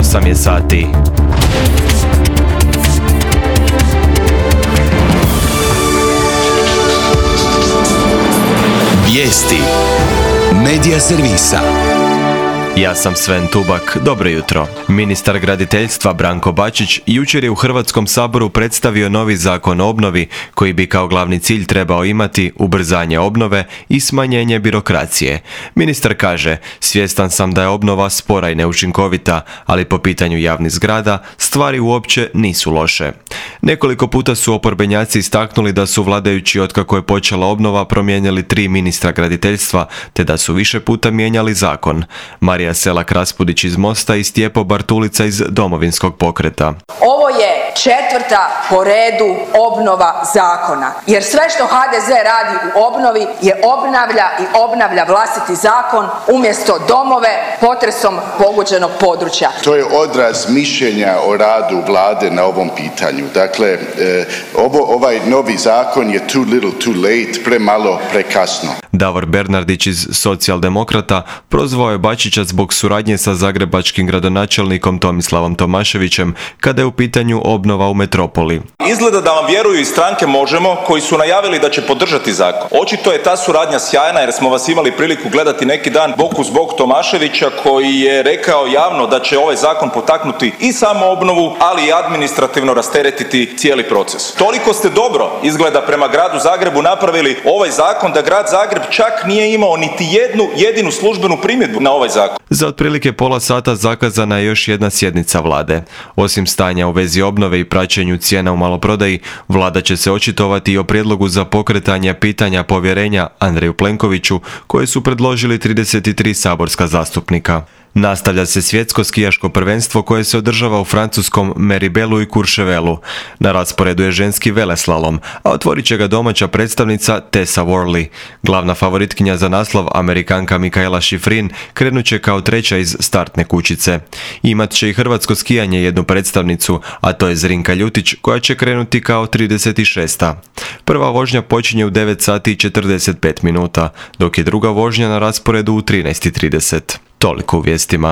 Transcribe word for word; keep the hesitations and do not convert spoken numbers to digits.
osam je sati. Vijesti Medija servisa. Ja sam Sven Tubak, dobro jutro. Ministar graditeljstva Branko Bačić jučer je u Hrvatskom saboru predstavio novi zakon o obnovi koji bi kao glavni cilj trebao imati ubrzanje obnove i smanjenje birokracije. Ministar kaže, svjestan sam da je obnova spora i neučinkovita, ali po pitanju javnih zgrada stvari uopće nisu loše. Nekoliko puta su oporbenjaci istaknuli da su vladajući otkako je počela obnova promijenili tri ministra graditeljstva, te da su više puta mijenjali zakon. Marija Selak-Raspudić iz Mosta i Stjepo Bartulica iz Domovinskog pokreta. Ovo je četvrta po redu obnova zakona, jer sve što ha de ze radi u obnovi je obnavlja i obnavlja vlastiti zakon umjesto domove potresom pogođenog područja. To je odraz mišljenja o radu vlade na ovom pitanju. Dakle, eh, ovo, ovaj novi zakon je too little too late, premalo, prekasno. Davor Bernardić iz Socijaldemokrata prozvao je Bačića zbog suradnje sa zagrebačkim gradonačelnikom Tomislavom Tomaševićem kada je u pitanju obnova u metropoli. Izgleda da vam vjeruju iz stranke Možemo koji su najavili da će podržati zakon. Očito je ta suradnja sjajna jer smo vas imali priliku gledati neki dan bok uz bok Tomaševića koji je rekao javno da će ovaj zakon potaknuti i samo obnovu, ali i administrativno rasteretiti cijeli proces. Toliko ste dobro izgleda prema gradu Zagrebu napravili ovaj zakon da grad Zagreb čak nije imao niti jednu jedinu službenu primjedbu na ovaj zakon. Za otprilike pola sata zakazana je još jedna sjednica vlade. Osim stanja u vezi obnove i praćenju cijena u maloprodaji, vlada će se očitovati i o prijedlogu za pokretanje pitanja povjerenja Andreju Plenkoviću koje su predložili trideset tri saborska zastupnika. Nastavlja se svjetsko skijaško prvenstvo koje se održava u francuskom Meribelu i Courchevelu. Na rasporedu je ženski veleslalom, a otvorit će ga domaća predstavnica Tessa Worley. Glavna favoritkinja za naslov, Amerikanka Mikaela Shiffrin, krenut će kao treća iz startne kućice. Imat će i hrvatsko skijanje jednu predstavnicu, a to je Zrinka Ljutić koja će krenuti kao trideset šesta. Prva vožnja počinje u devet sati i četrdeset pet minuta, dok je druga vožnja na rasporedu u trinaest i trideset. Toliko u vijestima.